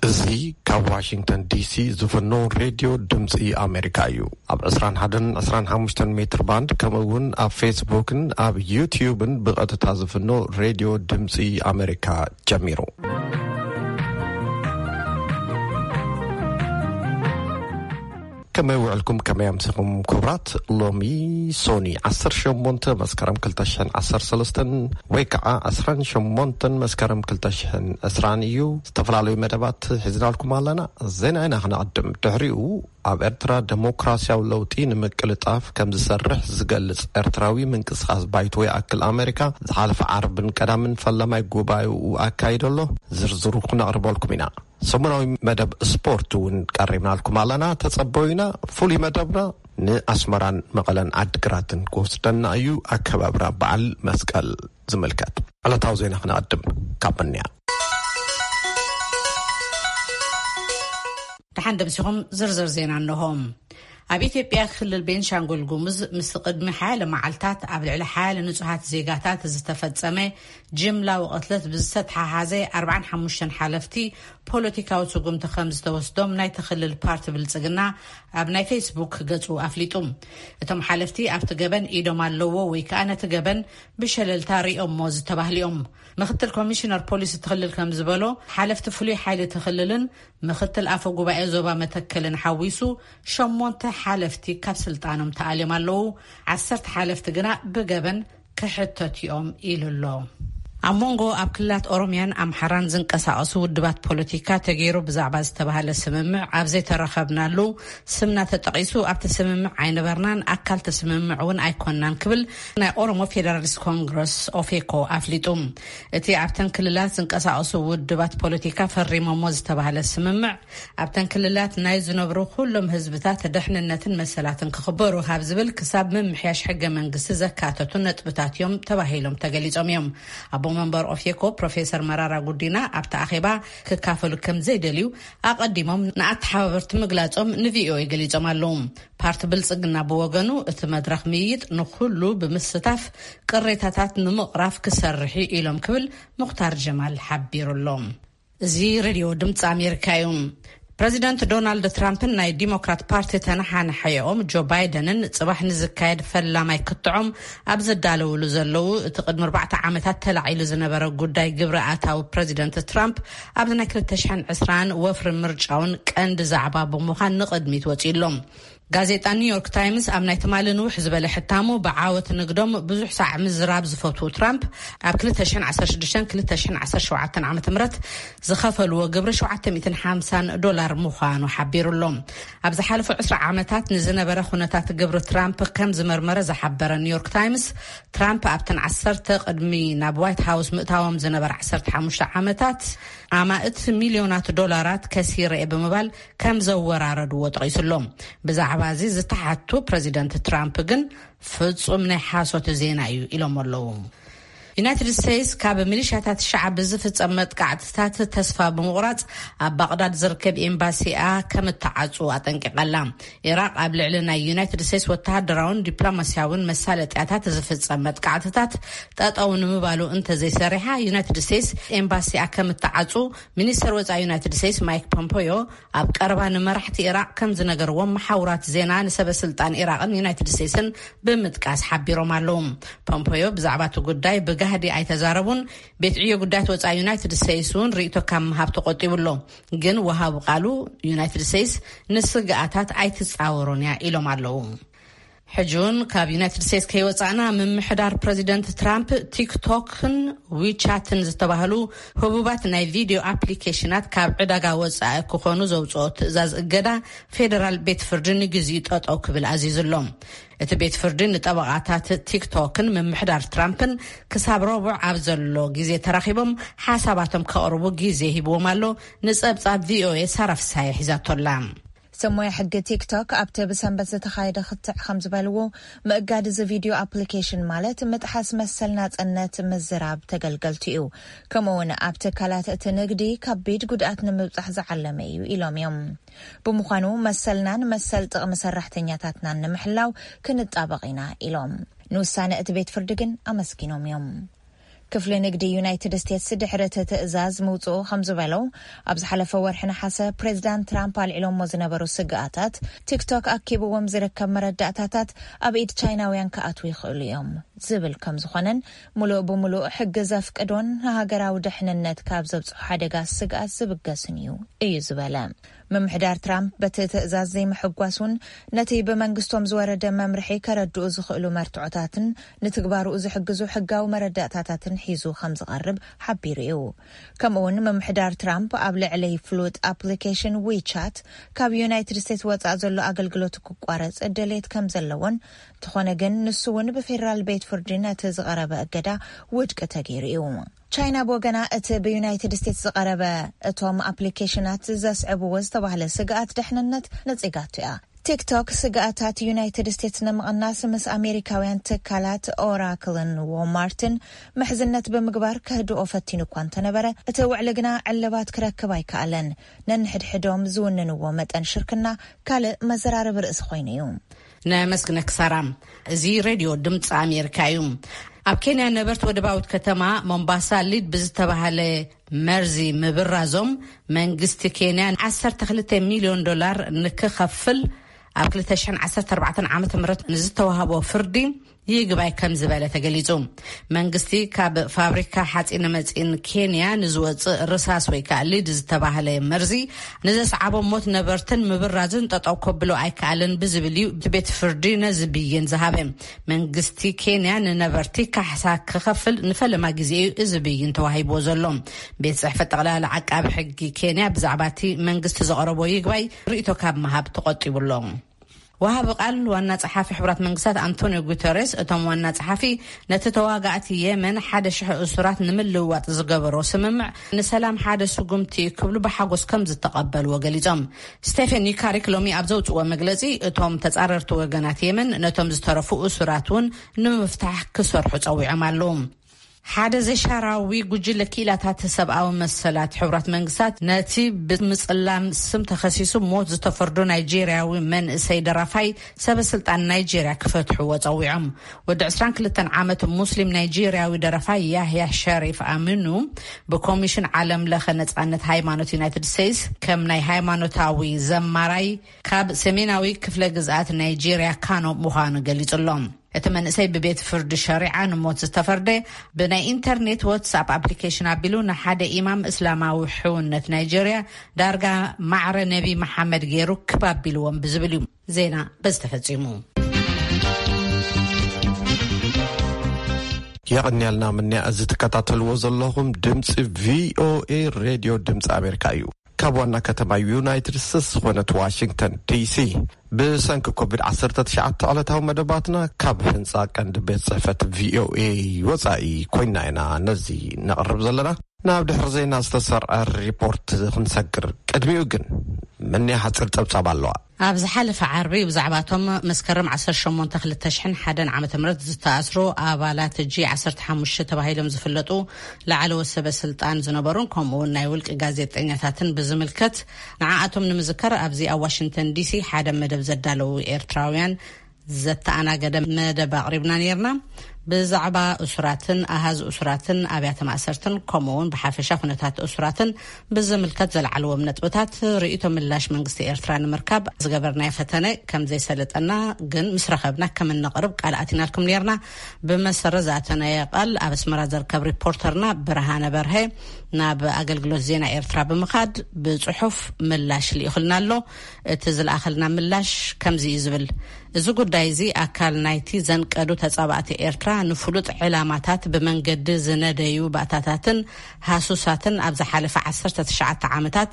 እዚ ካብ ዋሽንግተን ዲሲ ዝፍኖ ሬድዮ ድምፂ ኣሜሪካ እዩ። ኣብ ዕስራን ሓደን ዕስራን ሓሙሽተን ሜትር ባንድ፣ ከምኡ እውን ኣብ ፌስቡክን ኣብ ዩትዩብን ብቐጥታ ዝፍኖ ሬድዮ ድምፂ ኣሜሪካ ጀሚሩ። ከመይ ውዕልኩም? ከመይ ኣምሲኹም ክቡራት? ሎሚ ሶኒ ዓሰርተ ሸሞንተ መስከረም ክልተ ሽሕን ዓሰርተ ሰለስተን ወይ ከዓ ዕስራን ሸሞንተን መስከረም ክልተ ሽሕን ዕስራን እዩ። ዝተፈላለዩ መደባት ሒዝናልኩም ኣለና። ዜና ኢና ክነቐድም። ድሕሪኡ ኣብ ኤርትራ ደሞክራሲያዊ ለውጢ ንምቅልጣፍ ከም ዝሰርሕ ዝገልጽ ኤርትራዊ ምንቅስቃስ ባይቶ ይኣክል ኣሜሪካ ዝሓለፈ ዓርብን ቀዳምን ፈለማይ ጉባኤኡ ኣካይዶ ኣሎ። ዝርዝሩ ክነቕርበልኩም ኢና። ሰሙናዊ መደብ ስፖርት እውን ቀሪብናልኩም ኣለና። ተጸበዩና። ፍሉይ መደብና ንኣስመራን መቐለን ዓድግራትን ክወስደና እዩ። ኣከባብራ በዓል መስቀል ዝምልከት ዕለታዊ ዜና ክነቐድም ካብ መን እያ? ደሓን ደምሲኹም ዝርዝር ዜና እንሆ። ኣብ ኢትዮጵያ ክልል ቤንሻንጉል ጉሙዝ ምስ ቅድሚ ሓያለ መዓልታት ኣብ ልዕሊ ሓያለ ንጹሃት ዜጋታት ዝተፈጸመ ጅምላዊ ቅትለት ብዝተተሓሓዘ ኣርባዓን ሓሙሽተን ሓለፍቲ ፖለቲካዊ ስጉምቲ ከም ዝተወስዶም ናይቲ ክልል ፓርቲ ብልጽግና ኣብ ናይ ፌስቡክ ገጹ ኣፍሊጡ። እቶም ሓለፍቲ ኣብቲ ገበን ኢዶም ኣለዎ ወይ ከኣ ነቲ ገበን ብሸለልታ ሪኦሞ ዝተባህሉ እዮም። ምክትል ኮሚሽነር ፖሊስ እቲ ክልል ከም ዝበሎ፣ ሓለፍቲ ፍሉይ ሓይሊ እቲ ክልልን ምክትል ኣፈ ጉባኤ ዞባ መተከልን ሓዊሱ ሸሞንተ ሓለፍቲ ካብ ስልጣኖም ተኣልዮም ኣለዉ። ዓሰርተ ሓለፍቲ ግና ብገበን ክሕተቱ እዮም ኢሉ ኣሎ። ኣብ መንጎ ኣብ ክልላት ኦሮሚያን ኣምሓራን ዝንቀሳቐሱ ውድባት ፖለቲካ ተገይሩ ብዛዕባ ዝተባህለ ስምምዕ ኣብ ዘይተረኸብናሉ፣ ስምና ተጠቒሱ ኣብቲ ስምምዕ ኣይነበርናን፣ ኣካል እቲ ስምምዕ እውን ኣይኮንናን ክብል ናይ ኦሮሞ ፌደራሊስት ኮንግረስ ኦፌኮ ኣፍሊጡ። እቲ ኣብተን ክልላት ዝንቀሳቐሱ ውድባት ፖለቲካ ፈሪሞሞ ዝተባህለ ስምምዕ ኣብተን ክልላት ናይ ዝነብሩ ኩሎም ህዝብታት ደሕንነትን መሰላትን ክኽበሩ ካብ ዝብል ክሳብ ምምሕያሽ ሕገ መንግስቲ ዘካተቱ ነጥብታት እዮም ተባሂሎም ተገሊጾም እዮም። ኣቦ መንበር ኦፌኮ ፕሮፌሰር መራራ ጉዲና ኣብቲ ኣኼባ ክካፈሉ ከም ዘይደልዩ ኣቐዲሞም ንኣተሓባበርቲ ምግላጾም ንቪኦኤ ገሊጾም ኣለዉ። ፓርቲ ብልጽግና ብወገኑ እቲ መድረኽ ምይይጥ ንኹሉ ብምስታፍ ቅሬታታት ንምቕራፍ ክሰርሕ እዩ ኢሎም ክብል ሙኽታር ጀማል ሓቢሩ ኣሎ። እዚ ሬድዮ ድምፂ ኣሜሪካ እዩ። ፕረዚደንት ዶናልድ ትራምፕን ናይ ዲሞክራት ፓርቲ ተነሓናሓይኦም ጆ ባይደንን ጽባሕ ንዝካየድ ፈላማይ ክትዖም ኣብ ዘዳለውሉ ዘለዉ፣ እቲ ቅድሚ ኣርባዕተ ዓመታት ተላዒሉ ዝነበረ ጉዳይ ግብሪ ኣታዊ ፕረዚደንት ትራምፕ ኣብዚ ናይ ክልተ ሽሕን ዕስራን ወፍሪ ምርጫውን ቀንዲ ዛዕባ ብምዃን ንቕድሚት ወጺኡ ኣሎ። ጋዜጣ ኒውዮርክ ታይምስ ኣብ ናይ ትማሊ ንውሕ ዝበለ ሕታሙ፣ ብዓወት ንግዶም ብዙሕ ሳዕ ምዝራብ ዝፈትዉ ትራምፕ፣ ኣብ ክልተ ሽሕን ዓሰርተ ሽዱሽተን ክልተ ሽሕን ዓሰርተ ሸውዓተን ዓመተ ምህረት ዝኸፈልዎ ግብሪ ሸውዓተ ሚእትን ሓምሳን ዶላር ምዃኑ ሓቢሩ ኣሎ። ኣብ ዝሓለፉ ዕስራ ዓመታት ንዝነበረ ኩነታት ግብሪ ትራምፕ ከም ዝመርመረ ዝሓበረ ኒውዮርክ ታይምስ፣ ትራምፕ ኣብተን ዓሰርተ ቅድሚ ናብ ዋይት ሃውስ ምእታዎም ዝነበረ ዓሰርተ ሓሙሽተ ዓመታት፣ ኣማእት ሚልዮናት ዶላራት ከሲረ እየ ብምባል ከም ዘወራረድዎ ጠቒሱ ኣሎ። ብዛዕባ እዚ ዝተሓቱ ፕረዚደንት ትራምፕ ግን፣ ፍጹም ናይ ሓሶት ዜና እዩ ኢሎም ኣለዉ። ዩናይትድ ስቴትስ ካብ ሚሊሻታት ሻዕቢ ዝፍጸም መጥቃዕትታት ተስፋ ብምቑራጽ፣ ኣብ ባቕዳድ ዝርከብ ኤምባሲኣ ከም እተዓጹ ኣጠንቂቓ ኣላ። ኢራቕ ኣብ ልዕሊ ናይ ዩናይትድ ስቴትስ ወተሃደራውን ዲፕሎማስያውን መሳለጥያታት ዝፍጸም መጥቃዕትታት ጠጠው ንምባሉ እንተዘይሰሪሓ፣ ዩናይትድ ስቴትስ ኤምባሲኣ ከም እተዓጹ ሚኒስተር ወጻኢ ዩናይትድ ስቴትስ ማይክ ፖምፖዮ ኣብ ቀረባ ንመራሕቲ ኢራቕ ከም ዝነገርዎም መሓውራት ዜና ንሰበ ስልጣን ኢራቕን ዩናይትድ ስቴትስን ብምጥቃስ ሓቢሮም ኣለዉ። ፖምፖዮ ብዛዕባ እቲ ጉዳይ ብጋህዲ ኣይተዛረቡን። ቤት ዕዮ ጉዳያት ወጻኢ ዩናይትድ ስቴትስ እውን ርእይቶ ካብ ምሃብ ተቆጢቡ ኣሎ። ግን ወሃቢ ቃሉ፣ ዩናይትድ ስቴትስ ንስግኣታት ኣይትጻወሮን እያ ኢሎም ኣለዉ። ሕጂ እውን ካብ ዩናይትድ ስቴትስ ከይወጻእና፣ ምምሕዳር ፕረዚደንት ትራምፕ ቲክቶክን ዊቻትን ዝተባህሉ ህቡባት ናይ ቪድዮ ኣፕሊኬሽናት ካብ ዕዳጋ ወጻኢ ክኾኑ ዘውጽኦ ትእዛዝ እገዳ ፌደራል ቤት ፍርዲ ንግዚኡ ጠጠው ክብል ኣዚዙ ኣሎ። እቲ ቤት ፍርዲ ንጠበቓታት ቲክቶክን ምምሕዳር ትራምፕን ክሳብ ረቡዕ ኣብ ዘሎ ግዜ ተራኺቦም ሓሳባቶም ከቕርቡ ግዜ ሂብዎም ኣሎ። ንጸብጻብ ቪኦኤ ሳራ ፍሳሐ ሒዛቶ ኣላ። ሰሞያ ሕጊ ቲክቶክ ኣብቲ ብሰንበት ዝተኻየደ ክትዕ ከም ዝበልዎ፣ ምእጋድ እዚ ቪድዮ ኣፕሊኬሽን ማለት ምጥሓስ መሰል ናጽነት ምዝራብ ተገልገልቲ እዩ። ከምኡውን ኣብ ትካላት እቲ ንግዲ ከቢድ ጉድኣት ንምብጻሕ ዝዓለመ እዩ ኢሎም እዮም። ብምዃኑ መሰልናን መሰል ጥቕሚ ሰራሕተኛታትናን ንምሕላው ክንጣበቕ ኢና ኢሎም። ንውሳነ እቲ ቤት ፍርዲ ግን ኣመስጊኖም እዮም። ክፍሊ ንግዲ ዩናይትድ ስቴትስ ድሕሪ እቲ ትእዛዝ ምውፅኡ ከም ዝበለው፣ ኣብ ዝሓለፈ ወርሒ ነሓሰ ፕሬዚዳንት ትራምፕ ኣልዒሎሞ ዝነበሩ ስግኣታት፣ ቲክቶክ ኣኪብዎም ዝርከብ መረዳእታታት ኣብ ኢድ ቻይናውያን ክኣትዉ ይኽእሉ እዮም ዝብል ከም ዝኾነን፣ ሙሉእ ብሙሉእ ሕጊ ዘፍቅዶን ንሃገራዊ ድሕንነት ካብ ዘብፅሑ ሓደጋ ስግኣት ዝብገስን እዩ እዩ ዝበለ። ምምሕዳር ትራምፕ በቲ ትእዛዝ ዘይምሕጓስ እውን፣ ነቲ ብመንግስቶም ዝወረደ መምርሒ ከረድኡ ዝኽእሉ መርትዖታትን ንትግባርኡ ዝሕግዙ ሕጋዊ መረዳእታታትን ሒዙ ከም ዝቐርብ ሓቢሩ እዩ። ከምኡ እውን ምምሕዳር ትራምፕ ኣብ ልዕሊ ፍሉጥ ኣፕሊኬሽን ዊቻት ካብ ዩናይትድ ስቴትስ ወጻእ ዘሎ ኣገልግሎት ክቋረጽ ድሌት ከም ዘለዎን፣ እንተኾነ ግን ንሱ እውን ብፌዴራል ቤት ፍርዲ ነቲ ዝቐረበ እገዳ ውድቂ ተገይሩ እዩ። ቻይና ብወገና፣ እቲ ብዩናይትድ ስቴትስ ዝቐረበ እቶም ኣፕሊኬሽናት ዘስዕብዎ ዝተባህለ ስግኣት ድሕንነት ነጺጋቶ እያ። ቲክቶክ ስግኣታት ዩናይትድ ስቴትስ ንምቕናስ ምስ ኣሜሪካውያን ትካላት ኦራክልን ዎልማርትን ምሕዝነት ብምግባር ከህድኦ ፈቲኑ እኳ እንተነበረ፣ እቲ ውዕሊ ግና ዕልባት ክረክብ ኣይከኣለን። ነንሕድሕዶም ዝውንንዎ መጠን ሽርክና ካልእ መዘራረቢ ርእሲ ኮይኑ እዩ። ነመስግነኪ ሳራ። እዚ ሬድዮ ድምፂ ኣሜሪካ እዩ። ኣብ ኬንያ ነበርቲ ወደባዊት ከተማ ሞምባሳ ሊድ ብዝተባሃለ መርዚ ምብራዞም፣ መንግስቲ ኬንያ ዓሰርተ ክልተ ሚልዮን ዶላር ንክኸፍል ኣብ ክልተ ሽሕን ዓሰርተ ኣርባዕተን ዓመተ ምህረት ንዝተዋህቦ ፍርዲ ይግባይ ከም ዝበለ ተገሊጹ። መንግስቲ ካብ ፋብሪካ ሓጺን መጺን ኬንያ ንዝወጽእ ርሳስ ወይ ከዓ ሊድ ዝተባህለ መርዚ ንዘስዓቦ ሞት ነበርትን ምብራዝን ጠጠው ከብሎ ኣይከኣልን ብዝብል እዩ እቲ ቤት ፍርዲ ነዚ ብይን ዝሃበ። መንግስቲ ኬንያ ንነበርቲ ካሕሳ ክኸፍል ንፈለማ ግዜ እዩ እዚ ብይን ተዋሂብዎ ዘሎ። ቤት ጽሕፈት ጠቕላላ ዓቃቢ ሕጊ ኬንያ ብዛዕባ እቲ መንግስቲ ዘቕረቦ ይግባይ ርእይቶ ካብ ምሃብ ተቖጢቡ ኣሎ። ወሃቢ ቃል ዋና ጸሓፊ ሕቡራት መንግስታት ኣንቶኒዮ ጉተሬስ፣ እቶም ዋና ጸሓፊ ነቲ ተዋጋእቲ የመን ሓደ ሽሕ እሱራት ንምልውዋጥ ዝገበሮ ስምምዕ ንሰላም ሓደ ስጉምቲ ክብሉ ብሓጎስ ከም ዝተቐበልዎ ገሊጾም። ስቴፈን ዩካሪክ ሎሚ ኣብ ዘውጽዎ መግለጺ፣ እቶም ተጻረርቲ ወገናት የመን ነቶም ዝተረፉ እሱራት እውን ንምፍታሕ ክሰርሑ ጸዊዖም ኣለዉ። ሓደ ዘይሻራዊ ጉጅለ ክኢላታት ሰብኣዊ መሰላት ሕቡራት መንግስታት ነቲ ብምጽላም ስም ተኸሲሱ ሞት ዝተፈርዶ ናይጄርያዊ መንእሰይ ደራፋይ ሰበ ስልጣን ናይጄርያ ክፈትሕዎ ጸዊዖም። ወዲ ዕስራን ክልተን ዓመት ሙስሊም ናይጄርያዊ ደራፋይ ያህያ ሸሪፍ ኣሚኑ ብኮሚሽን ዓለም ለኸ ነጻነት ሃይማኖት ዩናይትድ ስቴትስ ከም ናይ ሃይማኖታዊ ዘማራይ ካብ ሰሜናዊ ክፍለ ግዝኣት ናይጄርያ ካኖ ምዃኑ ገሊጹ ኣሎ። እቲ መንእሰይ ብቤት ፍርዲ ሸሪዓ ንሞት ዝተፈርደ፣ ብናይ ኢንተርኔት ዋትስኣፕ ኣፕሊኬሽን ኣቢሉ ንሓደ ኢማም እስላማዊ ሕውነት ናይጀርያ ዳርጋ ማዕረ ነቢ መሓመድ ገይሩ ክብ ኣቢልዎም ብዝብል እዩ። ዜና በዚ ተፈጺሙ። የቐንያልና ምንያ። እዚ ትከታተልዎ ዘለኹም ድምፂ ቪኦኤ ሬድዮ ድምፂ ኣሜሪካ እዩ። ካብ ዋና ከተማ ዩናይትድ ስቴትስ ዝኾነት ዋሽንግተን ዲሲ፣ ብሰንኪ ኮቪድ ዓሰርተ ትሽዓተ ዕለታዊ መደባትና ካብ ህንፃ ቀንዲ ቤት ጽሕፈት ቪኦኤ ወጻኢ ኮይና ኢና ነዚ ነቕርብ ዘለና። ናብ ድሕሪ ዜና ዝተሰርዐ ሪፖርት ክንሰግር፣ ቅድሚኡ ግን ምንያ ሓፂር ጸብጻብ ኣለዋ። ኣብ ዝሓለፈ ዓርቢ ብዛዕባቶም መስከረም ዓሰርተ ሸሞንተ ክልተ ሽሕን ሓደን ዓመተ ምህረት ዝተኣስሩ ኣባላት ጂ ዓሰርተ ሓሙሽተ ተባሂሎም ዝፍለጡ ላዕለዎት ሰበ ስልጣን ዝነበሩን ከምኡ እውን ናይ ውልቂ ጋዜጠኛታትን ብዝምልከት፣ ንዓኣቶም ንምዝካር ኣብዚ ኣብ ዋሽንግተን ዲሲ ሓደ መደብ ዘዳለዉ ኤርትራውያን ዘተኣናገደ መደብ ኣቕሪብና ነይርና። ብዛዕባ እሱራትን ኣሃዝ እሱራትን ኣብያተ ማእሰርትን ከምኡ እውን ብሓፈሻ ኩነታት እሱራትን ብዝምልከት ዘልዓልዎም ነጥብታት ርእይቶ ምላሽ መንግስቲ ኤርትራ ንምርካብ ዝገበርናዮ ፈተነ ከም ዘይሰለጠና ግን ምስ ረኸብና ከም እነቕርብ ቃል ኣቲናልኩም ነይርና። ብመሰረት ዝኣተናዮ ቃል ኣብ ኣስመራ ዝርከብ ሪፖርተርና ብርሃነ በርሀ ናብ ኣገልግሎት ዜና ኤርትራ ብምኻድ ብጽሑፍ ምላሽ ልኢኹልና ኣሎ። እቲ ዝለኣኸልና ምላሽ ከምዚ እዩ ዝብል። እዚ ጉዳይ እዚ ኣካል ናይቲ ዘንቀዱ ተጻባእቲ ኤርትራ ንፍሉጥ ዕላማታት ብመንገዲ ዝነደዩ ባእታታትን ሃሱሳትን ኣብ ዝሓለፈ ዓሰርተ ትሽዓተ ዓመታት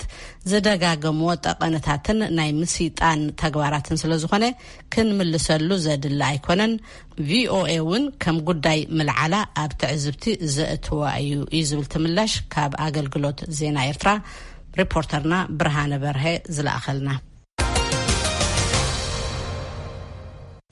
ዝደጋገምዎ ጠቐነታትን ናይ ምስይጣን ተግባራትን ስለ ዝኾነ ክንምልሰሉ ዘድሊ ኣይኮነን። ቪኦኤ እውን ከም ጉዳይ ምልዓላ ኣብ ትዕዝብቲ ዘእትዋ እዩ እዩ ዝብል እቲ ምላሽ ካብ ኣገልግሎት ዜና ኤርትራ ሪፖርተርና ብርሃነ በርሀ ዝለኣኸልና።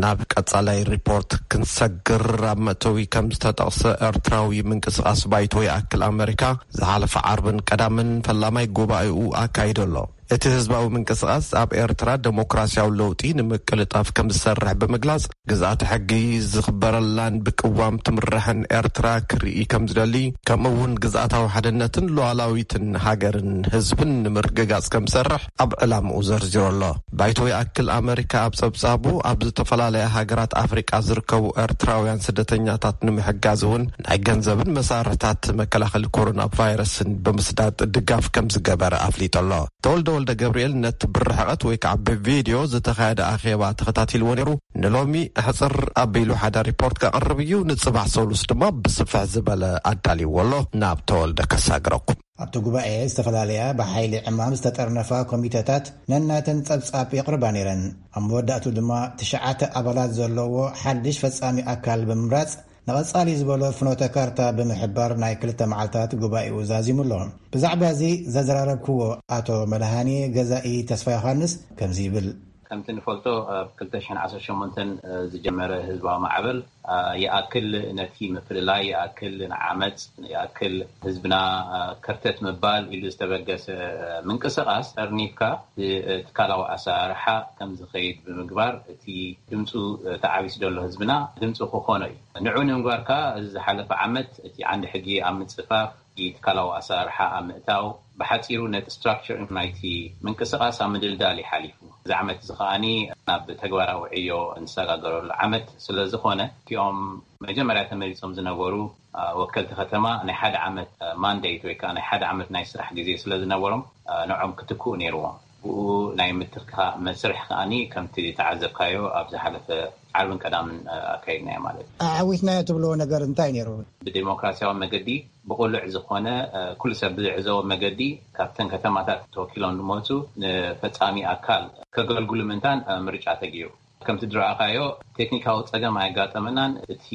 ናብ ቀጻላይ ሪፖርት ክንሰግር፣ ኣብ መእተዊ ከም ዝተጠቕሰ፣ ኤርትራዊ ምንቅስቓስ ባይቶ ይኣክል ኣመሪካ ዝሓለፈ ዓርብን ቀዳምን ፈላማይ ጉባኤኡ ኣካይዶ ኣሎ። እቲ ህዝባዊ ምንቅስቓስ ኣብ ኤርትራ ደሞክራሲያዊ ለውጢ ንምቅልጣፍ ከም ዝሰርሕ ብምግላጽ፣ ግዝኣተ ሕጊ ዝኽበረላን ብቅዋም ትምራሕን ኤርትራ ክርኢ ከም ዝደሊ፣ ከምኡ እውን ግዝኣታዊ ሓድነትን ሉዓላዊትን ሃገርን ህዝብን ንምርግጋጽ ከም ዝሰርሕ ኣብ ዕላምኡ ዘርዚሩ ኣሎ። ባይቶ ይኣክል ኣመሪካ ኣብ ጸብጻቡ፣ ኣብ ዝተፈላለያ ሃገራት ኣፍሪቃ ዝርከቡ ኤርትራውያን ስደተኛታት ንምሕጋዝ እውን ናይ ገንዘብን መሳርሕታት መከላኸሊ ኮሮና ቫይረስን ብምስዳድ ድጋፍ ከም ዝገበረ ኣፍሊጡ ኣሎ። ተወልደ ወልደ ገብርኤል ነቲ ብርሕቐት ወይ ከዓ ብቪድዮ ዝተኻየደ ኣኼባ ተኸታቲልዎ ነይሩ። ንሎሚ ሕጽር ኣቢሉ ሓደ ሪፖርት ከቕርብ እዩ። ንጽባሕ ሰሉስ ድማ ብስፍሕ ዝበለ ኣዳልይዎ ኣሎ። ናብ ተወልደ ከሳግረኩም። ኣብቲ ጉባኤ ዝተፈላለያ ብሓይሊ ዕማም ዝተጠርነፋ ኮሚተታት ነናተን ጸብጻብ የቕርባ ነይረን። ኣብ መወዳእቱ ድማ ትሽዓተ ኣባላት ዘለዎ ሓድሽ ፈጻሚ ኣካል ብምምራጽ፣ ንቐጻሊ ዝበሎ ፍኖተ ካርታ ብምሕባር ናይ ክልተ መዓልታት ጉባኤኡ ዛዚሙ ኣሎ። ብዛዕባ እዚ ዘዘራረብክዎ ኣቶ መድሃኔ ገዛኢ ተስፋ ዮሃንስ ከምዚ ይብል። ከምቲ ንፈልጦ፣ ኣብ ክልተ ሽሕን ዓሰርተ ሸሞንተን ዝጀመረ ህዝባዊ ማዕበል፣ አ፣ ይኣክል ነቲ ምፍልላይ፣ ይኣክል ንዓመጽ፣ ይኣክል ህዝብና፣ አ፣ ከርተት ምባል ኢሉ ዝተበገሰ፣ አ፣ ምንቅስቓስ ጠርኒፍካ ብትካላዊ ኣሰራርሓ ከም ዝኸይድ ብምግባር፣ እቲ ድምፁ፣ አ፣ ተዓቢሱ ዘሎ ህዝብና ድምፁ ክኾኖ እዩ። ንዑ ንምግባር ከኣ፣ እዚ ዝሓለፈ ዓመት እቲ ዓንዲ ሕጊ ኣብ ምጽፋፍ፣ ትካላዊ ኣሰራርሓ ኣብ ምእታው፣ ብሓጺሩ ነቲ ስትራክቸር ናይቲ ምንቅስቓስ ኣብ ምድልዳል እዩ ሓሊፉ። እዚ ዓመት እዚ ከኣኒ ናብ ተግባራዊ ዕዮ እንሰጋገረሉ ዓመት ስለ ዝኾነ፣ እቲኦም መጀመርያ ተመሪጾም ዝነበሩ፣ አ፣ ወከልቲ ከተማ ናይ ሓደ ዓመት፣ አ፣ ማንዴት ወይ ከኣ ናይ ሓደ ዓመት ናይ ስራሕ ግዜ ስለ ዝነበሮም፣ አ፣ ንዖም ክትክኡ ነይርዎም። ብኡ ናይ ምትካእ መስርሕ ከኣኒ ከምቲ ተዓዘብካዮ ኣብ ዝሓለፈ ዓርብን ቀዳምን፣ አ፣ ኣካይድናዮ ማለት እዩ። ኣዓዊትናዮ ትብልዎ ነገር እንታይ ነይሩ? ብዴሞክራሲያዊ መገዲ ብቕሉዕ ዝኾነ፣ እ፣ ኩሉ ሰብ ብዝዕዘቦ መገዲ ካብተን ከተማታት ተወኪሎም ዝመጹ ንፈጻሚ ኣካል ከገልግሉ ምእንታን፣ እ፣ ምርጫ ተገይሩ። ከምቲ ዝረኣኻዮ ቴክኒካዊ ጸገም ኣየጋጠመናን። እቲ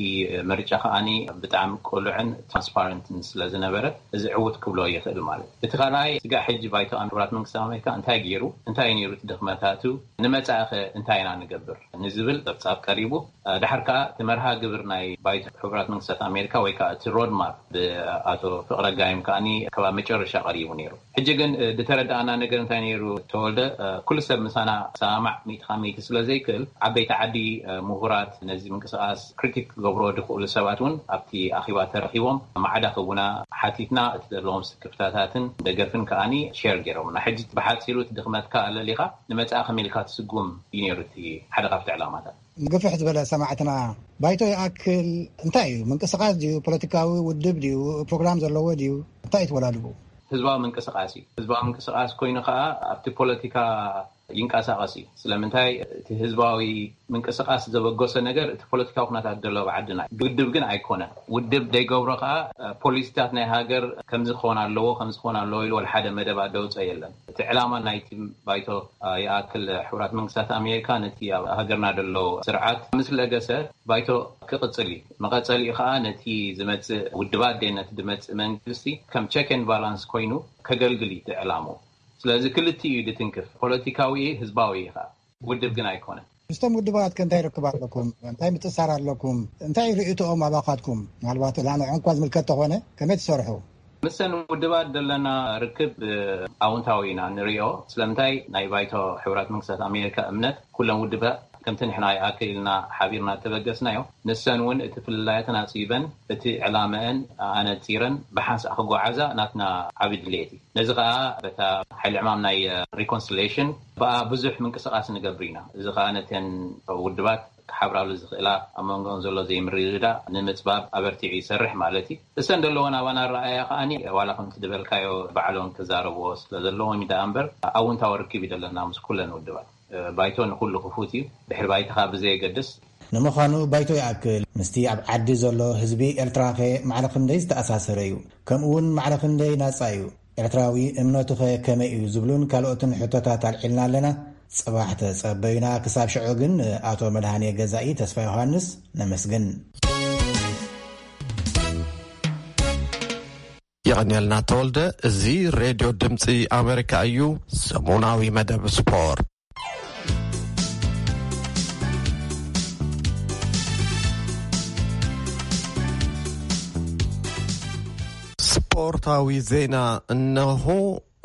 ምርጫ ከኣኒ ብጣዕሚ ቅሉዕን ትራንስፓረንትን ስለ ዝነበረ፣ እዚ ዕዉት ክብሎ ይኽእል ማለት እዩ። እቲ ካልኣይ፣ ስጋዕ ሕጂ ባይቶ ኣም-፣ ሕቡራት መንግስታት ኣሜሪካ እንታይ ገይሩ? እንታይ ነይሩ እቲ ድኽመታቱ? ንመጻኢኸ እንታይ ኢና ንገብር? ንዝብል ጸብጻብ ቀሪቡ። እ፣ ድሓር ከኣ እቲ መርሃ ግብር ናይ ባይቶ ሕቡራት መንግስታት ኣሜሪካ ወይ ከኣ እቲ ሮድማፕ ብኣቶ ፍቕረ ጋይም ከኣኒ ከባቢ መጨረሻ ቀሪቡ ነይሩ። ሕጂ ግን፣ እ፣ ዝተረዳኣና ነገር እንታይ ነይሩ ተወልደ? እ፣ ኩሉ ሰብ ምሳና ሰማማዕ ሚእቲ ካብ ሚእቲ ስለ ዘይክእል፣ ዓበይቲ ዓዲ፣ እ፣ ምሁራት፣ ነዚ ምንቅስቓስ ክሪቲክ ክገብርዎ ዝኽእሉ ሰባት እውን ኣብቲ ኣኼባ ተረኺቦም ማዕዳ ክህቡና ሓቲትና፣ እቲ ዘለዎም ስክፍታታትን ደገፍን ከኣኒ ሼር ገይሮምና። ሕጂ ብሓጺሩ እቲ ድኽመትካ ኣለሊኻ ንመጻኢ ከመይ ኢልካ ትስጉም እዩ ነይሩ እቲ ሓደ ካብቲ ዕላማታት። ግፍሕ ዝበለ ሰማዕትና፣ ባይቶ ይኣክል እንታይ እዩ? ምንቅስቓስ ድዩ? ፖለቲካዊ ውድብ ድዩ? ፕሮግራም ዘለዎ ድዩ? እንታይ እዩ ተወዳድቡ? ህዝባዊ ምንቅስቓስ እዩ። ህዝባዊ ምንቅስቓስ ኮይኑ ኸኣ ኣብቲ ፖለቲካ ይንቀሳቐስ እዩ። ስለምንታይ? እቲ ህዝባዊ ምንቅስቓስ ዘበገሶ ነገር እቲ ፖለቲካዊ ኩነታት ዘሎ ኣብ ዓድና እዩ። ውድብ ግን ኣይኮነን። ውድብ ዘይገብሮ ኸኣ፣ እ፣ ፖሊሲታት ናይ ሃገር ከምዚ ክኾን ኣለዎ፣ ከምዚ ክኾን ኣለዎ ኢሉ ወላ ሓደ መደባት ደውፀ የለን። እቲ ዕላማ ናይቲ ባይቶ፣ እ፣ ይኣክል ሕቡራት መንግስታት ኣሜሪካ ነቲ ኣብ ሃገርና ዘሎ ስርዓት ምስ ለገሰ ባይቶ ክቕጽል እዩ። መቐጸሊኡ ኸኣ ነቲ ዝመጽእ ውድባት ደ ነቲ ዝመጽእ መንግስቲ ከም ቸክ ኤንድ ባላንስ ኮይኑ ከገልግል እዩ እቲ ዕላምኡ። ስለዚ ክልቲኡ እዩ ዝትንክፍ፣ ፖለቲካዊ እዩ፣ ህዝባዊ እዩ ኸኣ። ውድብ ግን ኣይኮነን። ምስቶም ውድባት ከ እንታይ ርክብ ኣለኩም? እንታይ ምትእሳር ኣለኩም? እንታይ ርእይቶኦም ኣባኻትኩም? ምናልባት ላንዖም እኳ ዝምልከት ተኾነ፣ ከመይ ትሰርሑ? ምስተን ውድባት ዘለና ርክብ፣ እ፣ ኣውንታዊ ኢና ንሪኦ። ስለምንታይ? ናይ ባይቶ ሕቡራት መንግስታት ኣሜሪካ እምነት፣ ኩለን ውድባት ከምቲ ንሕና ይኣክል ኢልና ሓቢርና እተበገስናዮ፣ ንሰን እውን እቲ ፍልላየተን ኣጽቢበን፣ እቲ ዕላመአን ኣነጺረን ብሓንሳእ ክጓዓዛ ናትና ዓቢ ድሌት እዩ። ነዚ ኸኣ በታ ሓይሊ ዕማም ናይ፣ እ፣ ሪኮንሲሌሽን ብኣ ብዙሕ ምንቅስቓስ ንገብር ኢና። እዚ ኸኣ ነተን ውድባት ክሓብራሉ ዝኽእላ ኣብ መንጎኦም ዘሎ ዘይምርድዳእ ንምጽባብ ኣበርቲዑ ይሰርሕ ማለት እዩ። እሰን ዘለዎን ኣባና ኣረኣእያ ከኣኒ ዋላ ከምቲ ዝበልካዮ ባዕሎም ክዛረብዎ ስለ ዘለዎም እዩ ደኣ እምበር ኣውንታዊ ርክብ እዩ ዘለና ምስ ኩለን ውድባት። እ፣ ባይቶ ንኹሉ ክፉት እዩ። ድሕሪ ባይትኻ ብዘየገድስ። ንምዃኑ ባይቶ ይኣክል ምስቲ ኣብ ዓዲ ዘሎ ህዝቢ ኤርትራኸ ማዕረ ክንደይ ዝተኣሳሰረ እዩ? ከምኡ እውን ማዕረ ክንደይ ናጻ እዩ? ኤርትራዊ እምነቱኸ ከመይ እዩ? ዝብሉን ካልኦትን ሕቶታት ኣልዒልና ኣለና። ጽባሕ ተጸበዩና። ክሳብ ሽዑ ግን ንኣቶ መድሃኔ ገዛኢ ተስፋ ዮሃንስ ነመስግን። የቐንየልና ተወልደ። እዚ ሬድዮ ድምፂ ኣሜሪካ እዩ። ሰሙናዊ መደብ ስፖርት። ስፖርታዊ ዜና እነሆ።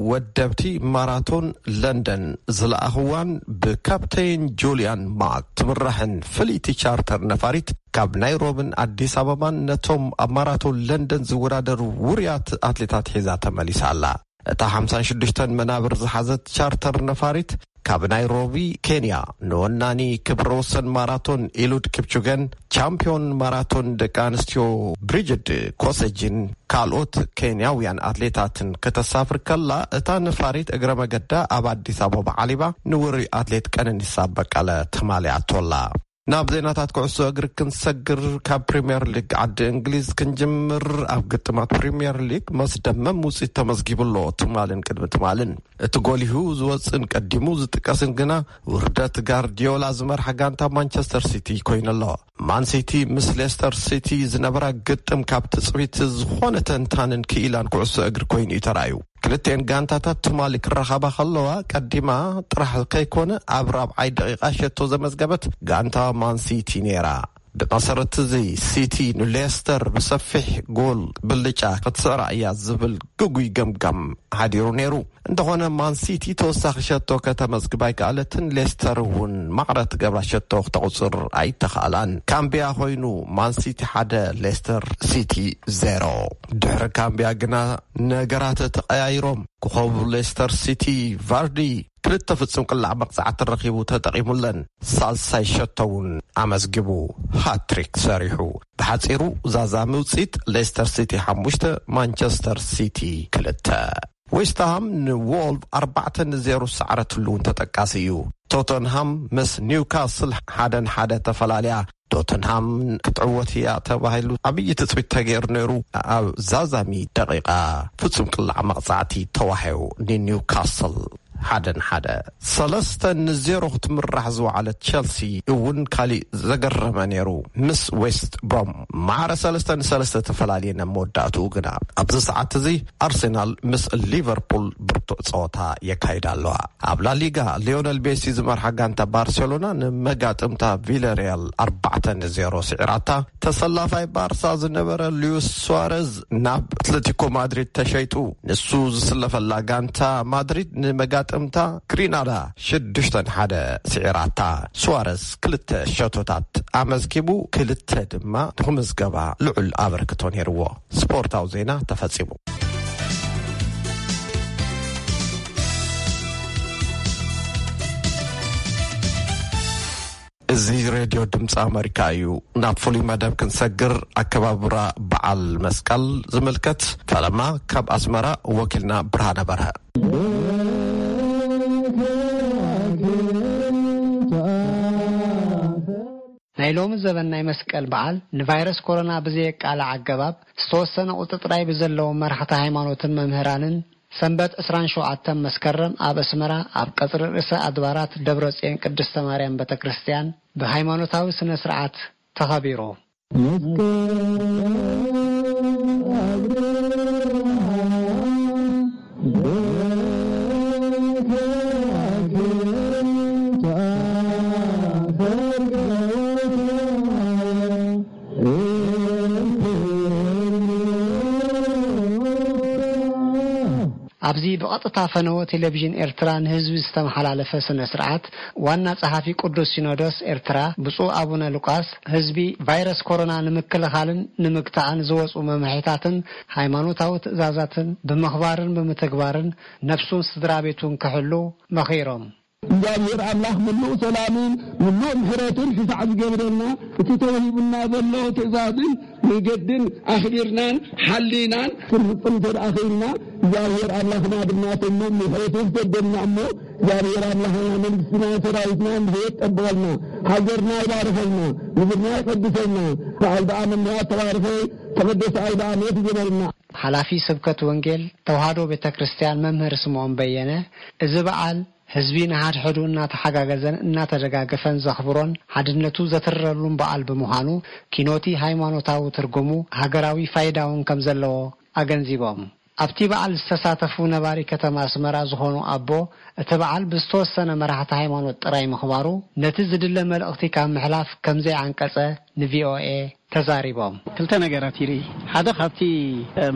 ወደብቲ ማራቶን ለንደን ዝለኣኽዋን ብካፕቴን ጁልያን ማክ ትምራሕን ፍልይቲ ቻርተር ነፋሪት ካብ ናይሮብን ኣዲስ ኣበባን ነቶም ኣብ ማራቶን ለንደን ዝወዳደሩ ውሩያት ኣትሌታት ሒዛ ተመሊሳ ኣላ። እታ ሓምሳን ሽዱሽተን መናብር ዝሓዘት ቻርተር ነፋሪት ካብ ናይሮቢ ኬንያ ንወናኒ ክብረ ወሰን ማራቶን ኢሉድ ኪፕቹገን ቻምፒዮን ማራቶን ደቂ ኣንስትዮ ብሪጅድ ኮሰጅን ካልኦት ኬንያውያን ኣትሌታትን ከተሳፍር ከላ፣ እታ ነፋሪት እግረ መገዳ ኣብ ኣዲስ ኣበባ ዓሊባ ንውሩይ ኣትሌት ቀነኒሳ በቀለ ተማሊኣቶላ። ናብ ዜናታት ኩዕሶ እግሪ ክንሰግር፣ ካብ ፕሪምየር ሊግ ዓዲ እንግሊዝ ክንጅምር። ኣብ ግጥማት ፕሪምየር ሊግ መስደመም ውፅኢት ተመዝጊቡ ኣሎ። ትማልን ቅድሚ ትማልን እቲ ጎሊሁ ዝወፅእን ቀዲሙ ዝጥቀስን ግና ውርደት ጋርዲዮላ ዝመርሓ ጋንታ ማንቸስተር ሲቲ ኮይኑ ኣሎ። ማን ሲቲ ምስ ሌስተር ሲቲ ዝነበራ ግጥም ካብ ትፅቢት ዝኾነ ተንታንን ክኢላን ኩዕሶ እግሪ ኮይኑ እዩ ተራእዩ። ክልተን ጋንታታት ትማሊ ክራኸባ ከለዋ ቀዲማ ጥራሕ ከይኮነ ኣብ ራብዓይ ደቂቃ ሸቶ ዘመዝገበት ጋንታ ማን ሲቲ ነይራ። ብመሰረት እዚ ሲቲ ንሌስተር ብሰፊሕ ጎል ብልጫ ክትስዕራ እያ ዝብል ግጉይ ገምጋም ሓዲሩ ነይሩ። እንተኾነ ማን ሲቲ ተወሳኺ ሸቶ ከተመዝግብ ኣይከኣለትን። ሌስተር እውን ማዕረ ትገብራ ሸቶ ክተቑፅር ኣይተኽኣላን። ካምቢያ ኮይኑ ማን ሲቲ ሓደ ሌስተር ሲቲ ዜሮ። ድሕሪ ካምቢያ ግና ነገራት ተቐያይሮም። ኮኸብ ሌስተር ሲቲ ቫርዲ ክልተ ፍጹም ቅላዕ መቕጻዕቲ ረኺቡ ተጠቒሙለን። ሳልሳይ ሸቶ እውን ኣመዝጊቡ ሃትሪክ ሰሪሑ። ብሓጺሩ ዛዛሚ ውጽኢት ሌስተር ሲቲ ሓሙሽተ፣ ማንቸስተር ሲቲ ክልተ። ዌስትሃም ንዎልቭ ኣርባዕተ ንዜሮ ዝሰዓረትሉ እውን ተጠቃሲ እዩ። ቶተንሃም ምስ ኒውካስል ሓደ ንሓደ ተፈላልያ። ቶተንሃም ክትዕወት እያ ተባሂሉ ዓብዪ ትጽቢት ተገይሩ ነይሩ። ኣብ ዛዛሚ ደቂቓ ፍጹም ቅላዕ መቕጻዕቲ ተዋሂቡ ንኒውካስል ሓደ ንሓደ። ሰለስተ ንዜሮ ክትምራሕ ዝወዓለት ቸልሲ እውን ካሊእ ዘገረመ ነይሩ ምስ ዌስት ብሮም። ማዕረ ሰለስተ ንሰለስተ ተፈላልየን ኣብ መወዳእትኡ ግና ኣብዚ ሰዓት እዚ ኣርሴናል ምስ ሊቨርፑል ብርቱዕ ጸወታ የካይዳ ኣለዋ። ኣብ ላሊጋ ሊዮነል ሜሲ ዝመርሓ ጋንታ ባርሴሎና ንመጋጥምታ ቪለሪያል ኣርባዕተ ንዜሮ ስዒራታ። ተሰላፋይ ባርሳ ዝነበረ ሉዊስ ሱዋረዝ ናብ ኣትሌቲኮ ማድሪድ ተሸይጡ። ንሱ ዝስለፈላ ጋንታ ማድሪድ ንመጋጥምታ ግሪናዳ ሽዱሽተ ንሓደ ስዒራታ። ሱዋረዝ ክልተ ሸቶታት ኣመዝጊቡ፣ ክልተ ድማ ንክምዝገባ ልዑል ኣበርክቶ ነይርዎ። ስፖርታዊ ዜና ተፈጺሙ። እዚ ሬድዮ ድምፂ ኣመሪካ እዩ። ናብ ፍሉይ መደብ ክንሰግር፣ ኣከባብራ በዓል መስቀል ዝምልከት ፈለማ ካብ ኣስመራ ወኪልና ብርሃነ በርሀ። ናይ ሎሚ ዘበን ናይ መስቀል በዓል ንቫይረስ ኮሮና ብዘየቃልዕ ኣገባብ ዝተወሰነ ቁጽሪ ጥራይ ብዘለዎም መራሕቲ ሃይማኖትን መምህራንን ሰንበት ዕስራን ሸውዓተን መስከረም ኣብ ኣስመራ ኣብ ቀጽሪ ርእሰ ኣድባራት ደብረጽዮን ቅድስተ ማርያም ቤተ ክርስቲያን ብሃይማኖታዊ ስነ ስርዓት ተኸቢሩ። ኣብዚ ብቐጥታ ፈነወ ቴሌቪዥን ኤርትራ ንህዝቢ ዝተመሓላለፈ ስነ ስርዓት ዋና ጸሓፊ ቅዱስ ሲኖዶስ ኤርትራ ብፁዕ ኣቡነ ሉቃስ ህዝቢ ቫይረስ ኮሮና ንምክልኻልን ንምግታእን ዝወፁ መምርሒታትን ሃይማኖታዊ ትእዛዛትን ብምኽባርን ብምትግባርን ነብሱን ስድራ ቤቱን ክሕሉ መኺሮም። እግዚኣብሔር ኣምላኽ ምሉእ ሰላምን ምሉእ ምሕረትን ሽፋዕ ዝገብረልና፣ እቲ ተወሂቡና ዘሎ ትእዛዝን መገድን ኣኽቢርናን ሓሊናን ክንፍጽም እንተ ደኣ ኽኢልና፣ እግዚኣብሔር ኣምላኽና ድማ ተሚሙ ምሕረቱ ይስደደልና እሞ፣ እግዚኣብሔር ኣምላኽና መንግስትና ሰራዊትና ንህይወት ጠብቐልና፣ ሃገርና ይባርኸልና፣ ምድርና ይቐድሰልና፣ በዓል ደኣ መምህራት ተባረኸ ተቐደሰ ኣውደ ዓመት ይግበርልና። ሓላፊ ስብከት ወንጌል ተዋህዶ ቤተ ክርስቲያን መምህር ስምዖን በየነ፣ እዚ በዓል ህዝቢ ንሓድሕዱ እናተሓጋገዘን እናተደጋገፈን ዘኽብሮን ሓድነቱ ዘትረሉን በዓል ብምዃኑ፣ ኪኖቲ ሃይማኖታዊ ትርጉሙ ሃገራዊ ፋይዳ እውን ከም ዘለዎ ኣገንዚቦም። ኣብቲ በዓል ዝተሳተፉ ነባሪ ከተማ ኣስመራ ዝኾኑ ኣቦ፣ እቲ በዓል ብዝተወሰነ መራሕቲ ሃይማኖት ጥራይ ምኽባሩ፣ ነቲ ዝድለ መልእኽቲ ካብ ምሕላፍ ከም ዘይዓንቀጸ ንቪኦኤ ተዛሪቦም። ክልተ ነገራት ይርኢ። ሓደ ካብቲ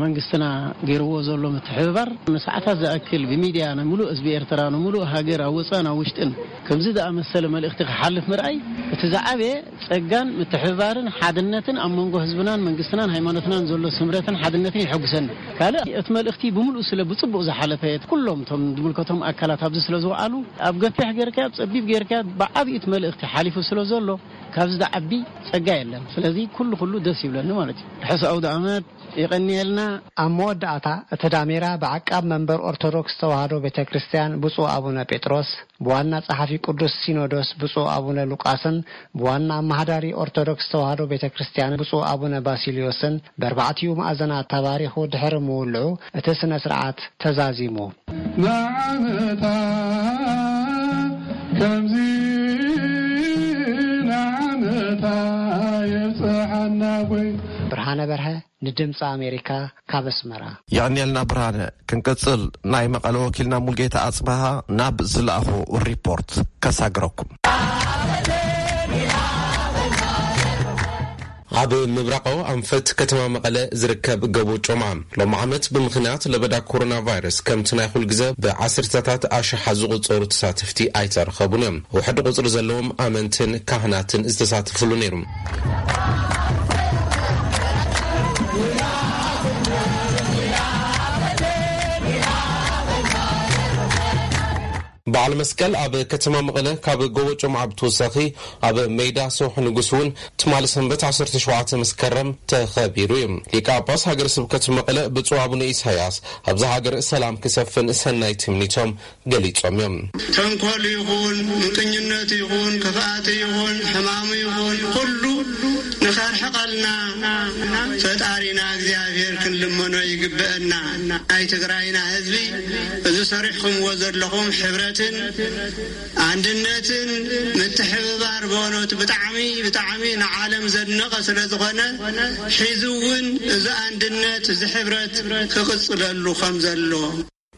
መንግስትና ገይርዎ ዘሎ ምትሕብባር ንሰዓታት ዝኣክል ብሚድያ ንሙሉእ ህዝቢ ኤርትራ፣ ንሙሉእ ሃገር፣ ኣብ ወፃእን ኣብ ውሽጥን ከምዚ ዝኣመሰለ መልእኽቲ ክሓልፍ ምርኣይ፣ እቲ ዝዓበየ ጸጋን ምትሕብባርን ሓድነትን ኣብ መንጎ ህዝብናን መንግስትናን ሃይማኖትናን ዘሎ ስምረትን ሓድነትን የሐጉሰኒ። ካልእ እቲ መልእኽቲ ብምሉእ ስለ ብጽቡቕ ዝሓለፈ፣ ኩሎም እቶም ዝምልከቶም ኣካላት ኣብዚ ስለ ዝወዓሉ፣ ኣብ ገፊሕ ጌርካ ኣብ ጸቢብ ጌርካ ብዓብዩ እቲ መልእኽቲ ሓሊፉ ስለ ዘሎ፣ ካብዚ ዝዓቢ ጸጋ የለን። ስለዚ ኩሉ ኩሉ ደስ ይብለኒ ማለት እዩ። ርሑስ ኣውደ ዓመት። የቐንየልና። ኣብ መወዳእታ እቲ ዳሜራ ብዓቃብ መንበር ኦርቶዶክስ ተዋህዶ ቤተ ክርስቲያን ብፁዕ ኣቡነ ጴጥሮስ፣ ብዋና ጸሓፊ ቅዱስ ሲኖዶስ ብፁዕ ኣቡነ ሉቃስን ብዋና ኣመሃዳሪ ኦርቶዶክስ ተዋህዶ ቤተ ክርስቲያን ብፁዕ ኣቡነ ባሲልዮስን ብኣርባዕቲኡ ማእዘናት ተባሪኹ ድሕሪ ምውልዑ፣ እቲ ስነ ስርዓት ተዛዚሙ። ንዓመታ ከምዚ ንዓመታ የብጽሓና ኣቦይ። ብርሃነ በርሀ ንድምፂ ኣሜሪካ ካብ ኣስመራ። የቐንየልና ብርሃነ። ክንቅጽል፣ ናይ መቐለ ወኪልና ሙልጌታ ኣጽብሃ ናብ ዝለኣኾ ሪፖርት ከሳግረኩም። ኣብ ምብራቓዊ ኣንፈት ከተማ መቐለ ዝርከብ ጎቦ ጮምዓ፣ ሎም ዓመት ብምኽንያት ለበዳ ኮሮና ቫይረስ፣ ከምቲ ናይ ኩል ግዘ ብዓሰርተታት ኣሽሓት ዝቑጸሩ ተሳተፍቲ ኣይተረኸቡን እዮም። ውሕድ ቁጽሪ ዘለዎም ኣመንትን ካህናትን ዝተሳተፍሉ ነይሩ። በዓል መስቀል ኣብ ከተማ መቐለ ካብ ጎቦ ጮምዓ ብተወሳኺ ኣብ ሜዳ ሰውሒ ንጉስ እውን ትማሊ ሰንበት ዓሰርተ ሸውዓተ መስከረም ተኸቢሩ እዩ። ሊቀ ጳጳስ ሃገረ ስብከት መቐለ ብፁዕ ኣቡነ ኢሳያስ ኣብዛ ሃገር ሰላም ክሰፍን ሰናይ ትምኒቶም ገሊጾም እዮም። ተንኮል ይኹን፣ ምንቅኝነት ይኹን፣ ክፍኣት ይኹን፣ ሕማሙ ይኹን፣ ኩሉ ንኸርሕቐልና ፈጣሪና እግዚኣብሔር ክንልመኖ ይግብአና። ናይ ትግራይና ህዝቢ፣ እዚ ሰሪሕኹምዎ ዘለኹም ሕብረትን ኣንድነትን ምትሕብባር በእውነቱ ብጣዕሚ፣ ብጣዕሚ ንዓለም ዘድነቐ ስለ ዝኾነ፣ ሒዙ እውን እዚ ኣንድነት፣ እዚ ሕብረት ክቕጽለሉ ከም ዘሎ።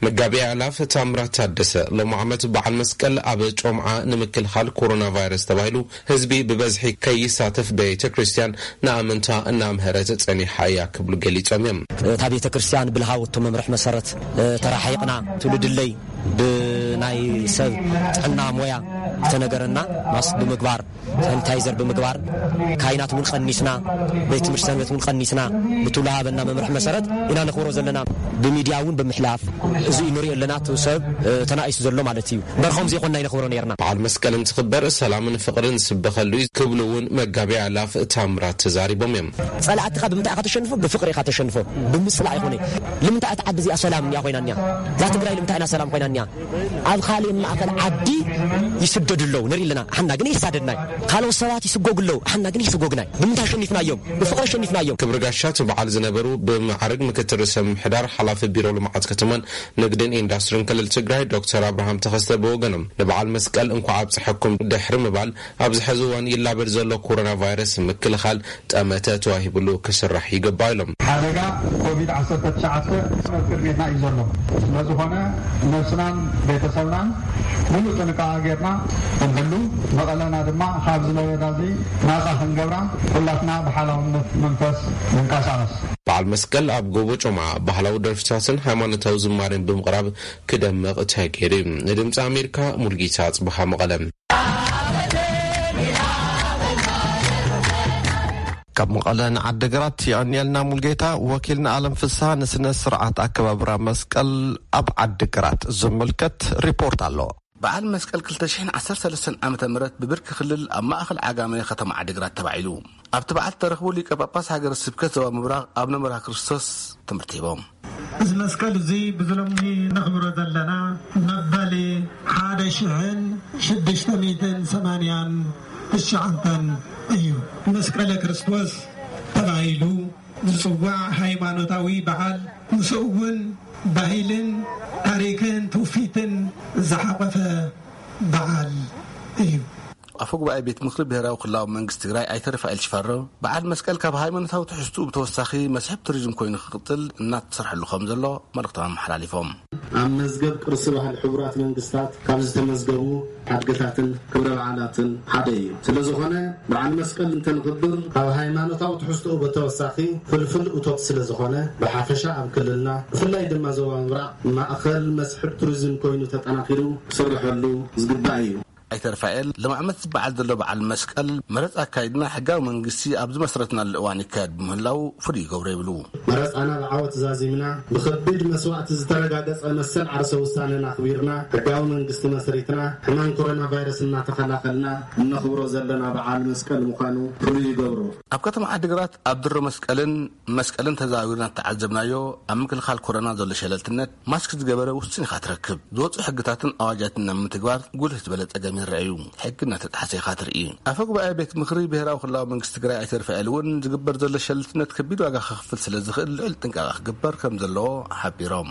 መጋቤ ኣእላፍ ታምራት ታደሰ፣ ሎም ዓመት በዓል መስቀል ኣብ ጮምዓ ንምክልኻል ኮሮና ቫይረስ ተባሂሉ ህዝቢ ብበዝሒ ከይሳተፍ ቤተ ክርስቲያን ንኣመንታ እናምሀረት ጸኒሓ እያ ክብሉ ገሊጾም እዮም። እታ ቤተ ክርስቲያን ብልሃወቶ መምርሒ መሰረት፣ እ፣ ተራሒቕና፣ ትውልድለይ ብናይ ሰብ ጥዕና ሞያ ዝተነገረና ማስክ ብምግባር፣ ሳኒታይዘር ብምግባር፣ ካይናት እውን ቀኒስና፣ ቤት ትምህርቲ ሰንበት እውን ቀኒስና፣ ብትውልሃበና መምርሒ መሰረት ኢና ነኽብሮ ዘለና። ብሚድያ እውን ብምሕላፍ፣ እዚ ንሪኦ ኣለና፣ እቲ ሰብ፣ እ፣ ተናኢሱ ዘሎ ማለት እዩ። እምበር ከምዚ ይኾንና ይነኽብሮ ነይርና። በዓል መስቀል እንትኽበር ሰላምን ፍቕርን ዝስበኸሉ እዩ ክብሉ እውን መጋቤ ኣእላፍ ታምራት ተዛሪቦም እዮም። ጸላእትኻ ብምንታይ ኢኻ ተሸንፎ? ብፍቕሪ ኢኻ ተሸንፎ። ብምጽላእ ኣይኮነ። ልምንታይ እታ ዓዲ እዚኣ ሰላም እያ ኮይና እኒኣ? እዛ ትግራይ ልምንታይ ኢና ሰላም ኮይና እኒኣ? ኣብ ካልእ ማእከል ዓዲ ይስደዱ ኣለዉ ንርኢ ኣለና። ሓና ግን ይሳደድናይ። ካልኦት ሰባት ይስጎጉ ኣለዉ። ሓና ግን ይስጎግናይ። ብምንታይ ኣሸኒፍናዮም? ብፍቕሪ ኣሸኒፍናዮም። ክብሪ ጋሻ እቲ በዓል ዝነበሩ ብመዓርግ ምክትል ርእሰ ምምሕዳር ሓላፊ ቢሮ ልምዓት ከተማን ንግድን ኢንዳስትሪን ክልል ትግራይ ዶክተር ኣብርሃም ተኸስተ ብወገኖም ንበዓል መስቀል እንኳዕ ኣብፀሐኩም ድሕሪ ምባል ኣብዚ ሕዚ እዋን ይላበድ ዘሎ ኮሮና ቫይረስ ምክልኻል ጠመተ ተዋሂብሉ ክስራሕ ይግባእ ኢሎም። ሓደጋ ኮቪድ ዓሰርተ ትሽዓተ ኣብ ቅድሜትና እዩ ዘሎ። ስለዝኾነ ነብስናን ቤተሰብናን ሙሉእ ጥንቃቐ ጌርና ክንሕሉ፣ መቐለና ድማ ካብዚ ለበዳ እዚ ናፃ ክንገብራ ኩላትና ብሓላውነት መንፈስ ንንቀሳቐስ። በዓል መስቀል ኣብ ጎቦ ጮምዓ ባህላዊ ደርፍታትን ሃይማኖታዊ ዝማሬን ብምቕራብ ክደምቕ ተገይሩ እዩ። ንድምፂ ኣሜሪካ ሙልጌታ ኣፅበሃ መቐለ። ካብ መቐለ ንዓዲግራት የቐንየልና ሙልጌታ። ወኪልና ኣለም ፍስሃ ንስነ ስርዓት ኣከባብራ መስቀል ኣብ ዓዲግራት ዝምልከት ሪፖርት ኣሎ። በዓል መስቀል ክልተ ሽሕን ዓሰርተ ሰለስተን ዓመተ ምህረት ብብርኪ ክልል ኣብ ማእኸል ዓጋመ ከተማ ዓዲግራት ተባዒሉ። ኣብቲ በዓል ዝተረኽቡ ሊቀ ጳጳስ ሃገረ ስብከት ዞባ ምብራቕ ኣቡነ መርሃ ክርስቶስ ትምህርቲ ሂቦም። እዚ መስቀል እዚ ብዝሎሚ ነኽብሮ ዘለና መበል ሓደ ሽሕን ሽዱሽተ ሚእትን ሰማንያን ትሽዓተን እዩ። መስቀለ ክርስቶስ ተባሂሉ ዝጽዋዕ ሃይማኖታዊ በዓል፣ ምስኡ እውን ባህልን ታሪኽን ትውፊትን ዝሓቖፈ በዓል እዩ። ኣፈ ጉባኤ ቤት ምክሪ ብሔራዊ ክልላዊ መንግስቲ ትግራይ ኣይተ ርፋኤል ሽፈራው፣ በዓል መስቀል ካብ ሃይማኖታዊ ትሕዝትኡ ብተወሳኺ መስሕብ ቱሪዝም ኮይኑ ክቕፅል እናተሰርሐሉ ከም ዘሎ መልእኽቶም ኣመሓላሊፎም። ኣብ መዝገብ ቅርሲ ባህሊ ሕቡራት መንግስታት ካብ ዝተመዝገቡ ሓድግታትን ክብረ በዓላትን ሓደ እዩ። ስለ ዝኾነ በዓል መስቀል እንተንኽብር ካብ ሃይማኖታዊ ትሕዝትኡ ብተወሳኺ ፍልፍል እቶት ስለ ዝኾነ ብሓፈሻ ኣብ ክልልና ብፍላይ ድማ ዞባ ምብራቕ ማእኸል መስሕብ ቱሪዝም ኮይኑ ተጠናኺሩ ክስርሐሉ ዝግባእ እዩ። ኣይተ ርፋኤል ሎም ዓመት ዝበዓል ዘሎ በዓል መስቀል መረፃ ኣካይድና ሕጋዊ መንግስቲ ኣብ ዝመስረትናሉ እዋን ይካየድ ብምህላው ፍሉይ ይገብሮ ይብሉ። መረፃና ብዓወት ዛዚምና ብኸቢድ መስዋእቲ ዝተረጋገፀ መሰል ዓርሰ ውሳነና ኣኽቢርና ሕጋዊ መንግስቲ መስሪትና ሕማም ኮሮና ቫይረስ እናተኸላኸልና እነኽብሮ ዘለና በዓል መስቀል ምዃኑ ፍሉይ ይገብሮ። ኣብ ከተማ ዓዲግራት ኣብ ድሮ መስቀልን መስቀልን ተዘዋዊርና እተዓዘብናዮ ኣብ ምክልኻል ኮሮና ዘሎ ሸለልትነት ማስክ ዝገበረ ውሱን ኢኻ ትረክብ። ዝወፁ ሕግታትን ኣዋጃትን ናብ ምትግባር ጉልህ ዝበለ ፀገም ይረኣዩ። ሕጊ እናተጣሓሰ ኢኻ ትርኢ። ኣፈ ጉባኤ ቤት ምክሪ ብሔራዊ ክልላዊ መንግስቲ ትግራይ ኣይተ ርፋኤል እውን ዝግበር ዘሎ ሸለልትነት ከቢድ ዋጋ ከኽፍል ስለ ዝኽእል ልዑል ጥንቃቐ ክግበር ከም ዘለዎ ሓቢሮም።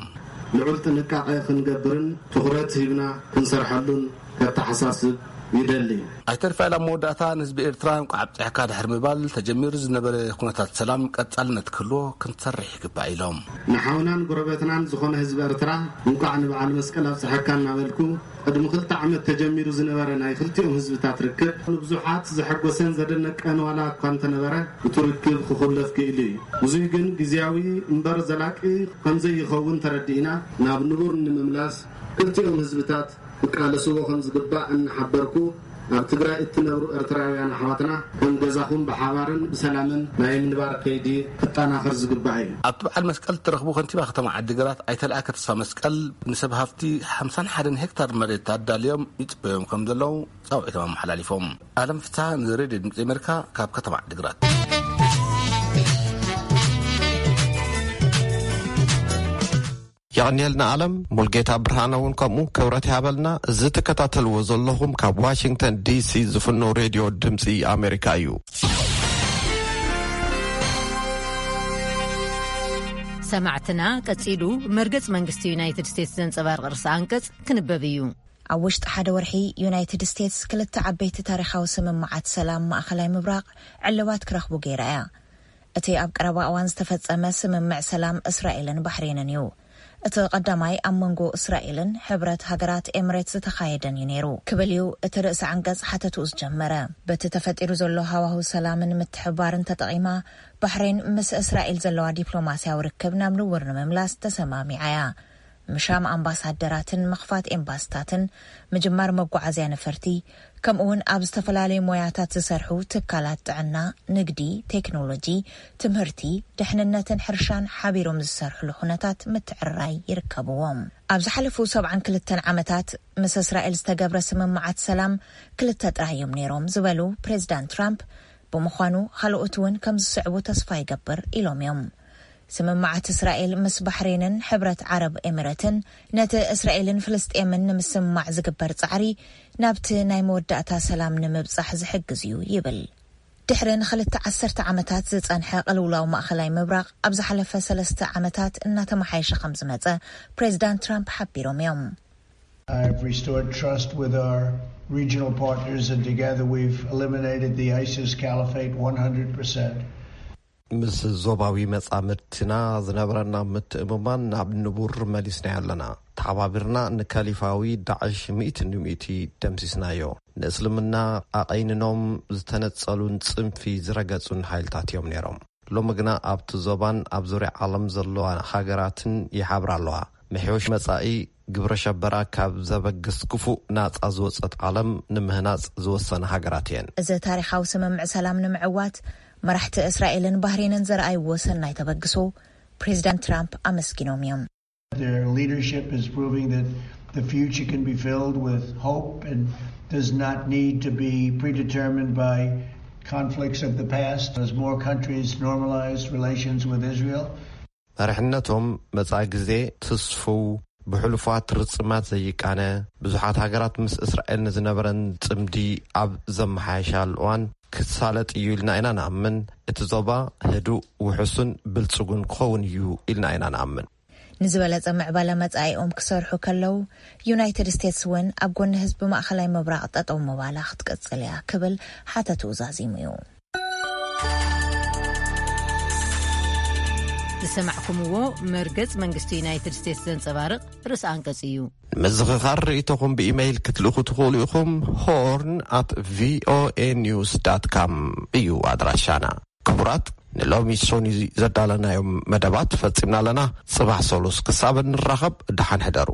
ልዑል ጥንቃቐ ክንገብርን ትኹረት ሂብና ክንሰርሐሉን ከተሓሳስብ ይደሊ። ኣይተ ርፋኤል ኣብ መወዳእታ ንህዝቢ ኤርትራ እንቋዕ ኣብፅሐካ ድሕሪ ምባል ተጀሚሩ ዝነበረ ኩነታት ሰላም ቀፃልነት ክህልዎ ክንሰርሕ ይግባእ ኢሎም። ንሓውናን ጎረቤትናን ዝኾነ ህዝቢ ኤርትራ እንቋዕ ንበዓል መስቀል ኣብፅሐካ እናበልኩ ቅድሚ ክልተ ዓመት ተጀሚሩ ዝነበረ ናይ ክልቲኦም ህዝብታት ርክብ ንብዙሓት ዘሐጎሰን ዘደነቀን ዋላ እኳ እንተነበረ እቲ ርክብ ክኹለፍ ክኢሉ እዩ። ብዙይ ግን ግዝያዊ እምበር ዘላቂ ከምዘይኸውን ተረዲእና ናብ ንቡር ንምምላስ ክልቲኦም ህዝብታት ክቃለስዎ ከም ዝግባእ እናሓበርኩ፣ ኣብ ትግራይ እትነብሩ ኤርትራውያን ኣሕዋትና ከም ገዛኹም ብሓባርን ብሰላምን ናይ ምንባር ከይዲ ክጠናኸር ዝግባእ እዩ። ኣብቲ በዓል መስቀል እተረኽቡ ከንቲባ ከተማ ዓዲግራት ኣይተ ለኣከ ተስፋ መስቀል ንሰብ ሃፍቲ ሓምሳን ሓደን ሄክታር መሬት ኣዳልዮም ይፅበዮም ከም ዘለዉ ፃውዒቶም ኣመሓላሊፎም። ኣለም ፍትሃ ንሬድዮ ድምፂ ኣሜሪካ ካብ ከተማ ዓዲግራት። የቐንየልና ኣለም። ሙልጌታ ብርሃነ እውን ከምኡ ክብረት ይሃበልና። እዚ ትከታተልዎ ዘለኹም ካብ ዋሽንግተን ዲሲ ዝፍኖ ሬድዮ ድምፂ ኣሜሪካ እዩ። ሰማዕትና፣ ቀጺሉ መርገጽ መንግስቲ ዩናይትድ ስቴትስ ዘንጸባርቕ ርእሰ ኣንቀጽ ክንበብ እዩ። ኣብ ውሽጢ ሓደ ወርሒ፣ ዩናይትድ ስቴትስ ክልተ ዓበይቲ ታሪኻዊ ስምምዓት ሰላም ማእኸላይ ምብራቕ ዕልባት ክረኽቡ ገይራ እያ። እቲ ኣብ ቀረባ እዋን ዝተፈጸመ ስምምዕ ሰላም እስራኤልን ባሕሬንን እዩ። እቲ ቀዳማይ ኣብ መንጎ እስራኤልን ሕብረት ሃገራት ኤምሬት ዝተኻየደን እዩ ነይሩ ክብል እዩ እቲ ርእሰ ዓንቀጽ ሓተትኡ ዝጀመረ። በቲ ተፈጢሩ ዘሎ ሃዋህው ሰላምን ምትሕብባርን ተጠቒማ፣ ባሕሬን ምስ እስራኤል ዘለዋ ዲፕሎማስያዊ ርክብ ናብ ንቡር ንምምላስ ተሰማሚዓ እያ። ምሻም ኣምባሳደራትን ምኽፋት ኤምባስታትን፣ ምጅማር መጓዓዝያ ነፈርቲ፣ ከምኡ እውን ኣብ ዝተፈላለዩ ሞያታት ዝሰርሑ ትካላት ጥዕና፣ ንግዲ፣ ቴክኖሎጂ፣ ትምህርቲ፣ ድሕንነትን ሕርሻን ሓቢሮም ዝሰርሕሉ ኩነታት ምትዕርራይ ይርከብዎም። ኣብ ዝሓለፉ ሰብዓን ክልተን ዓመታት ምስ እስራኤል ዝተገብረ ስምምዓት ሰላም ክልተ ጥራይ እዮም ነይሮም ዝበሉ ፕሬዚዳንት ትራምፕ፣ ብምዃኑ ካልኦት እውን ከም ዝስዕቡ ተስፋ ይገብር ኢሎም እዮም። ስምምዓት እስራኤል ምስ ባሕሬንን ሕብረት ዓረብ ኤሚረትን ነቲ እስራኤልን ፍልስጤምን ንምስምማዕ ዝግበር ጻዕሪ ናብቲ ናይ መወዳእታ ሰላም ንምብጻሕ ዝሕግዝ እዩ ይብል። ድሕሪ ንኽልተ ዓሰርተ ዓመታት ዝጸንሐ ቅልውላው ማእኸላይ ምብራቕ ኣብ ዝሓለፈ ሰለስተ ዓመታት እናተመሓየሸ ከም ዝመጸ ፕሬዚዳንት ትራምፕ ሓቢሮም እዮም። I've restored trust with our regional partners, and together we've eliminated the ISIS caliphate one hundred percent. ምስ ዞባዊ መጻምድትና ዝነበረና ምትእምማን ናብ ንቡር መሊስናዮ ኣለና። ተሓባቢርና ንከሊፋዊ ዳዕሽ ሚእቲ ንሚእቲ ደምሲስናዮ። ንእስልምና ኣቐይንኖም ዝተነጸሉን ጽንፊ ዝረገጹን ሓይልታት እዮም ነይሮም። ሎሚ ግና ኣብቲ ዞባን ኣብ ዙርያ ዓለም ዘለዋ ሃገራትን ይሓብራ ኣለዋ። ምሕዮሽ መጻኢ ግብረ ሸበራ ካብ ዘበግስ ክፉእ ናጻ ዝወጸት ዓለም ንምህናጽ ዝወሰና ሃገራት እየን። እዚ ታሪኻዊ ስምምዕ ሰላም ንምዕዋት መራሕቲ እስራኤልን ባህሬንን ዘርኣይዎ ሰናይ ተበግሶ ፕሬዚዳንት ትራምፕ ኣመስጊኖም እዮም። Their leadership is proving that the future can be filled with hope and does not need to be predetermined by conflicts of the past. As more countries normalize relations with Israel, መሪሕነቶም መጻኢ ግዜ ትስፉው፣ ብሕሉፋት ርጽማት ዘይቃነ፣ ብዙሓት ሃገራት ምስ እስራኤል ንዝነበረን ጽምዲ ኣብ ዘመሓየሻሉ እዋን ክሳለጥ እዩ ኢልና ኢና ንኣምን። እቲ ዞባ ህዱእ፣ ውሑስን ብልጽጉን ክኸውን እዩ ኢልና ኢና ንኣምን። ንዝበለጸ ምዕባለ መጻኢኦም ክሰርሑ ከለዉ፣ ዩናይትድ ስቴትስ እውን ኣብ ጎኒ ህዝቢ ማእኸላይ ምብራቕ ጠጠው ምባላ ክትቅጽል እያ ክብል ሓተትኡ ዛዚሙ እዩ። ዝሰማዕኩምዎ መርገጽ መንግስቲ ዩናይትድ ስቴትስ ዘንጸባርቕ ርእሲ ኣንቀጽ እዩ። ንምዝኽኻር ርእይቶኹም ብኢመይል ክትልእኹ ትኽእሉ ኢኹም። ሆርን ኣት ቪኦኤ ኒውስ ዳት ካም እዩ ኣድራሻና። ክቡራት፣ ንሎሚ ሶኒ ዘዳለናዮም መደባት ፈጺምና ኣለና። ጽባሕ ሰሉስ ክሳብ እንራኸብ ደሓን ሕደሩ።